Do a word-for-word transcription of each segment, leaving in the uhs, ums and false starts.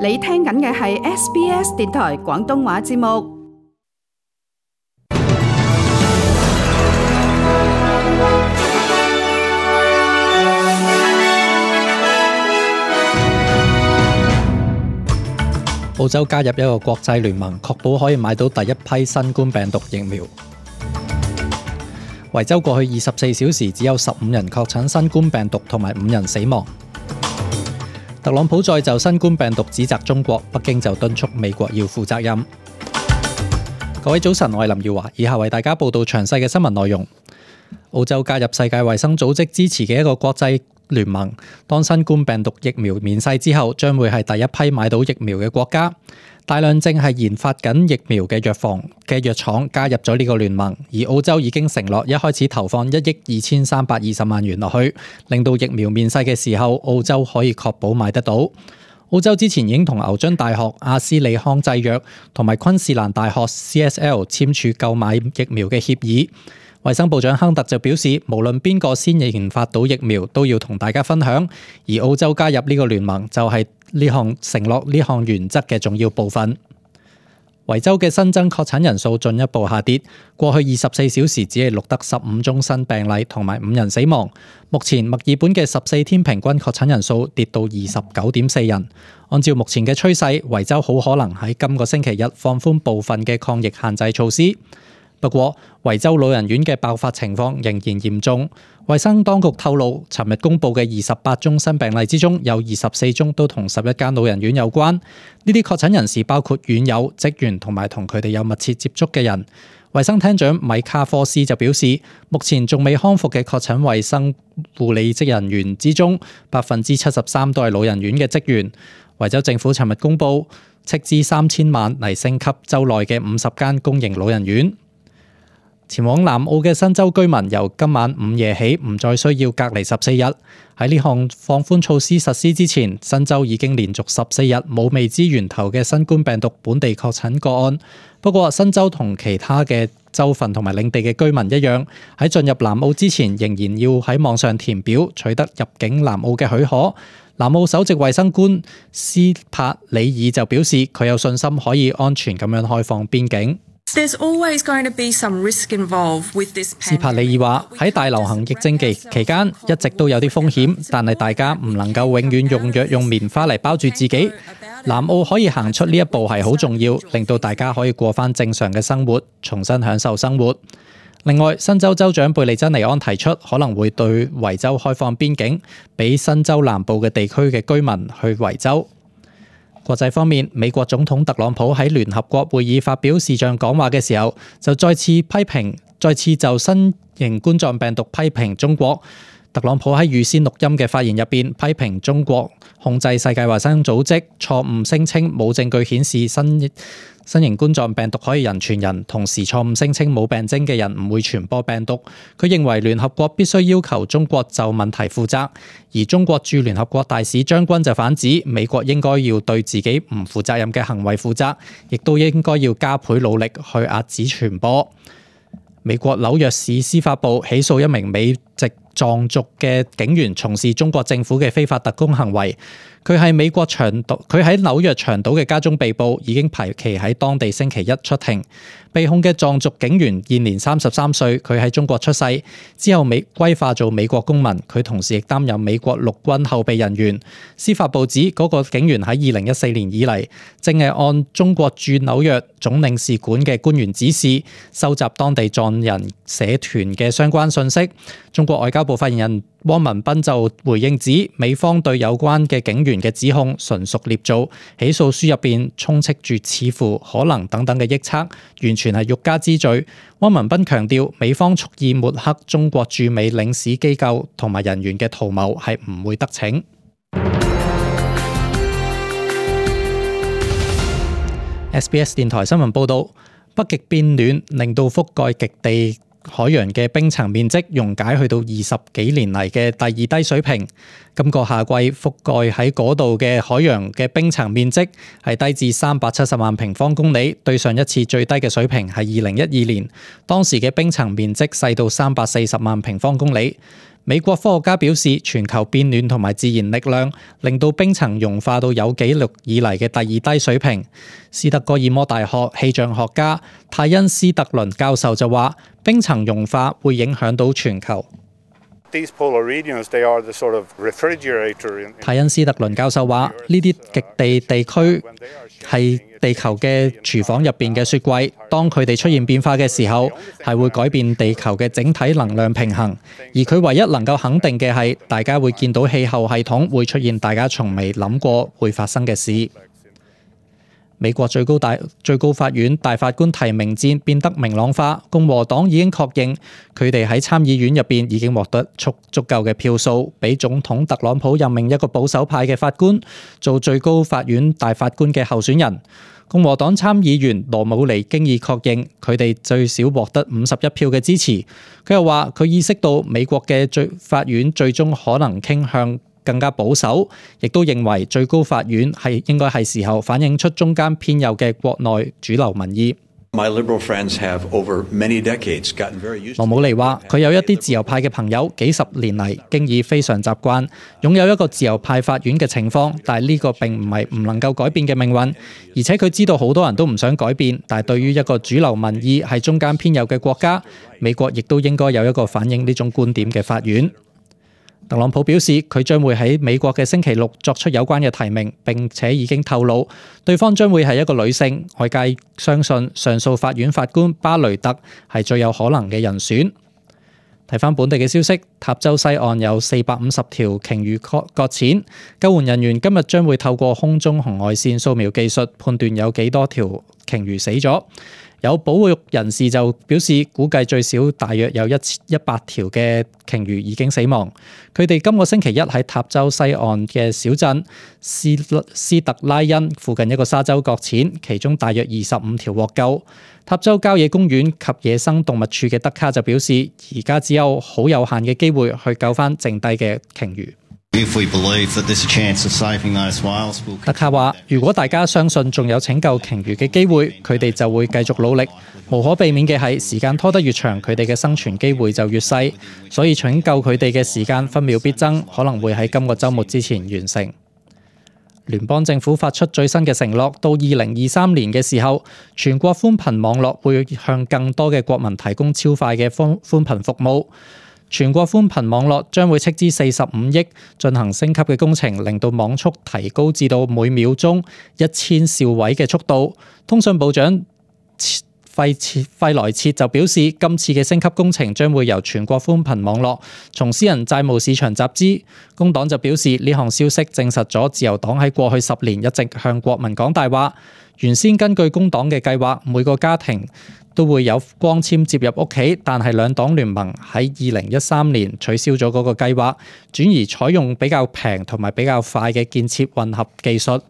你聽緊嘅係 S B S 電台廣東話節目。澳洲加入一個國際聯盟，確保可以買到第一批新冠病毒疫苗。維州過去二十四小時只有十五人確診新冠病毒，同埋五人死亡。特朗普再就新冠病毒指責中國，北京就敦促美國要負責任。各位早晨，我係林耀華，以下為大家報道詳細嘅新聞內容。澳洲加入世界衛生組織支持嘅一個國際聯盟，當新冠病毒疫苗面世之後，將會係第一批買到疫苗嘅國家。大量正係研發緊疫苗嘅藥房嘅藥廠加入咗呢個聯盟，而澳洲已經承諾一開始投放一億二千三百二十萬元落去，令到疫苗面世嘅時候，澳洲可以確保買得到。澳洲之前已經同牛津大學、阿斯利康製藥同埋昆士蘭大學 C S L 簽署購買疫苗嘅協議。衛生部長亨特就表示，無論邊個先研發到疫苗，都要同大家分享。而澳洲加入呢個聯盟就係呢項承諾呢項原則嘅重要部分。維州嘅新增確診人數進一步下跌，過去二十四小時只係錄得十五宗新病例同埋五人死亡。目前墨爾本嘅十四天平均確診人數跌到二十九點四人。按照目前嘅趨勢，維州好可能喺今個星期日放寬部分嘅抗疫限制措施。不過，維州老人院嘅爆發情況仍然嚴重。衛生當局透露，尋日公布嘅二十八宗新病例之中，有二十四宗都同十一間老人院有關。呢啲確診人士包括院友、職員同埋同佢哋有密切接觸嘅人。衛生廳長米卡科斯就表示，目前仲未康復嘅確診衛生護理職人員之中，百分之七十三都係老人院嘅職員。維州政府尋日公布，斥資三千萬嚟升級州內嘅五十間公營老人院。前往南澳嘅新州居民由今晚午夜起唔再需要隔離十四日。喺呢項放寬措施實施之前，新州已經連續十四日冇未知源頭嘅新冠病毒本地確診個案。不過，新州同其他嘅州份同埋領地嘅居民一樣，喺進入南澳之前，仍然要喺網上填表取得入境南澳嘅許可。南澳首席衛生官斯帕里爾就表示，佢有信心可以安全咁樣開放邊境。There's always going to be some risk involved with this pandemic. 斯帕里爾話：喺大流行疫症期期間，一直都有啲風險，但係大家唔能夠永遠用藥用棉花嚟包住自己。南澳可以行出呢一步係好重要，令到大家可以過返正常嘅生活，重新享受生活。另外，新州州長貝利珍尼安提出可能會對維州開放邊境，俾新州南部嘅地區嘅居民去維州。國際方面，美國總統特朗普喺聯合國會議發表視像講話嘅時候，就再次批評，再次就新型冠狀病毒批評中國。特朗普喺預先錄音嘅發言入邊，批評中國控制世界衛生組織，錯誤聲稱冇證據顯示新新型冠狀病毒可以人傳人，同時錯誤聲稱冇病徵嘅人唔會傳播病毒。佢認為聯合國必須要求中國就問題負責，而中國駐聯合國大使張軍就反指美國應該要對自己唔負責任嘅行為負責，亦都應該要加倍努力去遏止傳播。美國紐約市司法部起訴一名美籍藏族嘅警員從事中國政府嘅非法特工行為。佢係美國長島，佢喺紐約長島嘅家中被捕，已經排期喺當地星期一出庭。被控嘅藏族警員現年三十三歲，佢喺中國出世，之後美歸化做美國公民。佢同時亦擔任美國陸軍後備人員。司法部指嗰個警員喺二零一四年以嚟，正係按中國駐紐約總領事館嘅官員指示，收集當地藏人社團嘅相關信息。中國外交部發言人汪文斌就回應指，美方對有關嘅警員嘅指控純屬捏造，起訴書入邊充斥住似乎、可能等等嘅臆測，完全係欲加之罪。汪文斌強調，美方蓄意抹黑中國駐美領事機構同埋人員嘅圖謀係唔會得逞。S B S 電台新聞報道，北極變暖令到覆蓋極地海洋嘅冰層面積溶解去到二十幾年嚟嘅第二低水平。今個夏季覆蓋喺嗰度嘅海洋嘅冰層面積係低至三百七十萬平方公里，對上一次最低嘅水平係二零一二年，當時嘅冰層面積細到三百四十萬平方公里。美國科學家表示，全球變暖同埋自然力量令到冰層融化到有紀錄以嚟嘅第二低水平。斯德哥爾摩大學氣象學家泰恩斯特倫教授就話，冰層融化會影響到全球。泰恩斯特倫教授話，呢啲極地地區係地球嘅廚房入邊嘅雪櫃，當佢哋出現變化嘅時候，係會改變地球嘅整體能量平衡。而佢唯一能夠肯定嘅係，大家會見到氣候系統會出現大家從未諗過會發生嘅事。美國最高大最高法院大法官提名戰變得明朗化，共和黨已經確認佢哋喺參議院入邊已經獲得足足夠嘅票數，俾總統特朗普任命一個保守派嘅法官做最高法院大法官嘅候選人。共和黨參議員羅姆尼經已確認佢哋最少獲得五十一票嘅支持。佢又話佢意識到美國嘅最法院最終可能傾向更加保守，亦都認為最高法院係應該係時候反映出中間偏右嘅國內主流民意。羅姆尼話：佢有一啲自由派嘅朋友，幾十年嚟經已非常習慣擁有一個自由派法院嘅情況，但係呢個並唔係唔能夠改變嘅命運。而且佢知道好多人都唔想改變，但係對於一個主流民意係中間偏右嘅國家，美國亦都應該有一個反映呢種觀點嘅法院。特朗普表示，佢將會喺美國嘅星期六作出有關嘅提名，並且已經透露對方將會係一個女性。外界相信上訴法院法官巴雷特係最有可能嘅人選。睇返本地嘅消息，塔州西岸有四百五十條鯨魚擱淺，救援人員今日將會透過空中紅外線掃描技術判斷有幾多條鯨魚死咗。有保育人士就表示，估計最少大約有一一百條嘅鯨魚已經死亡。佢哋今個星期一喺塔州西岸嘅小鎮斯斯特拉恩附近一個沙洲擱淺，其中大約二十五條獲救。塔州郊野公園及野生動物處嘅德卡就表示，而家只有好有限嘅機會去救返剩低嘅鯨魚。德卡話：如果大家相信仲有拯救鯨魚嘅機會，佢哋就會繼續努力。無可避免嘅係，時間拖得越長，佢哋嘅生存機會就越細。所以拯救佢哋嘅時間分秒必爭，可能會喺今個週末之前完成。聯邦政府發出最新嘅承諾，到二零二三年嘅時候，全國寬頻網絡會向更多嘅國民提供超快嘅寬寬頻服務。全國寬頻網絡將會斥資四十五億進行升級嘅工程，令到網速提高至到每秒鐘一千兆位嘅速度。通訊部長費切費萊切就表示，今次嘅升級工程將會由全國寬頻網絡從私人債務市場集資。工黨就表示，呢項消息證實咗自由黨喺過去十年一直向國民講大話。原先根據工黨嘅計劃，每個家庭都會有光纖接入屋企，但係兩黨聯盟喺二零一三年取消咗嗰個計劃，轉而採用比較平同埋比較快嘅建設混合技術。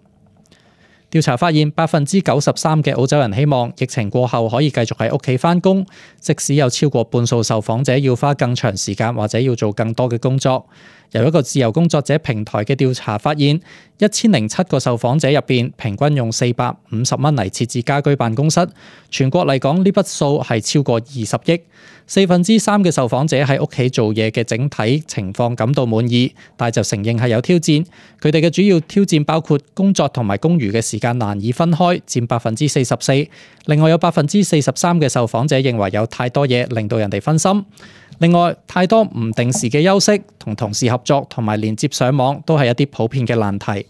調查發現，百分之九十三嘅澳洲人希望疫情過後可以繼續喺屋企返工，即使有超過半數受訪者要花更長時間或者要做更多嘅工作。由一個自由工作者平台嘅調查發現，一千零七個受訪者入邊，平均用四百五十蚊嚟設置家居辦公室。全國嚟講，呢筆數係超過二十億。四分之三嘅受訪者喺屋企做嘢嘅整體情況感到滿意，但係就承認係有挑戰。佢哋嘅主要挑戰包括工作同埋公餘嘅時間難以分開，佔百分之四十四。另外有百分之四十三嘅受訪者認為有太多嘢令到人哋分心。另外，太多唔定時嘅休息、同同事合作同埋連接上網都係一啲普遍嘅難題。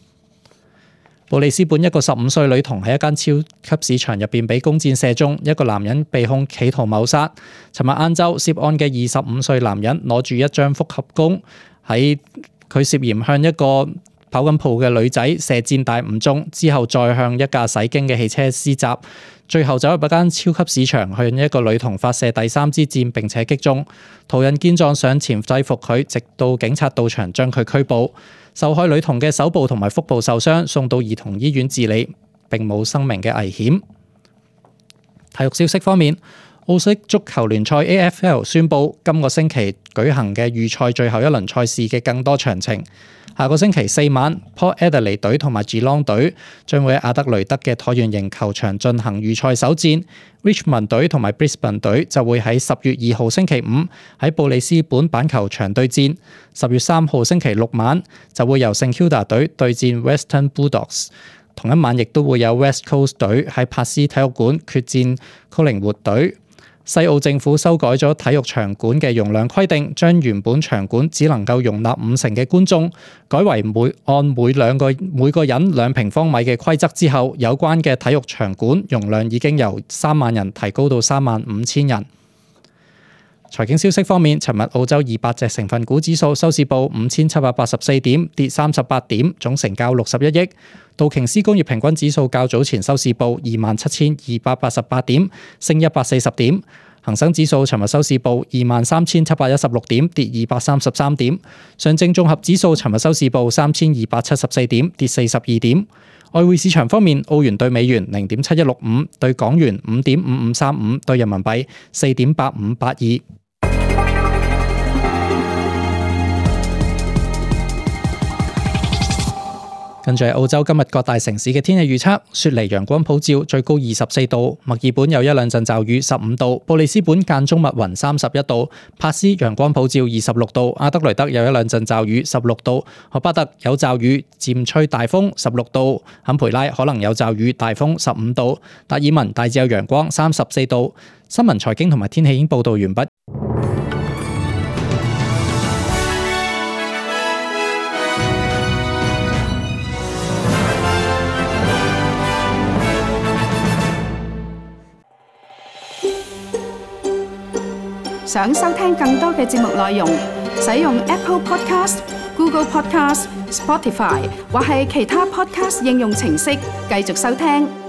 布里斯本一個十五歲女童喺一間超級市場入邊俾弓箭射中，一個男人被控企圖謀殺。尋日晏晝，涉案嘅二十五歲男人攞住一張複合弓，喺佢涉嫌向一個跑緊步嘅女仔射箭但唔中，之後再向一架駛經嘅汽車施襲，最後走入一間超級市場向一個女童發射第三支箭並且擊中。途人見狀上前制服佢，直到警察到場將佢拘捕。受害女童嘅手部同埋腹部受傷，送到兒童醫院治理，並冇生命嘅危險。體育消息方面，澳式足球聯賽 A F L 宣布今個星期舉行嘅預賽最後一輪賽事嘅更多詳情。下個星期四晚 ，Port Adelaide 隊同埋 Geelong 隊將會喺阿德雷德嘅橢圓形球場進行預賽首戰。Richmond 隊同埋 Brisbane 隊就會喺十月二號星期五喺布里斯本板球場對戰。十月三號星期六晚就會由聖 Kilda 隊對戰 Western Bulldogs。同一晚亦都會有 West Coast 隊喺柏斯體育館決戰 Collingwood 隊。西澳政府修改咗體育場館嘅容量規定，將原本場館只能夠容納五成嘅觀眾，改為每按每兩個每個人兩平方米嘅規則之後，有關嘅體育場館容量已經由三萬人提高到三萬五千人。財經消息方面，尋日澳洲二百隻成分股指數收市報五千七百八十四點，跌三十八點，總成交六十一億。道瓊斯工業平均指數較早前收市報二萬七千二百八十八點，升一百四十點。恒生指數尋日收市報二萬三千七百一十六點，跌二百三十三點。上證綜合指數尋日收市報三千二百七十四點，跌四十二點。外匯市場方面，澳元對美元零點七一六五，對港元五點五五三五，對人民幣四點八五八二。跟住係澳洲今日各大城市嘅天氣預測：雪梨陽光普照，最高二十四度；墨爾本有一兩陣驟雨，十五度；布里斯本間中密雲，三十一度；帕斯陽光普照，二十六度；阿德雷德有一兩陣驟雨，十六度；荷巴特有驟雨，漸吹大風，十六度；坎培拉可能有驟雨，大風，十五度；達爾文大致有陽光，三十四度。新聞、財經同埋天氣已經報道完畢。想收聽更多嘅節目內容，使用 Apple Podcast、Google Podcast、Spotify 或係其他 Podcast 應用程式繼續收聽。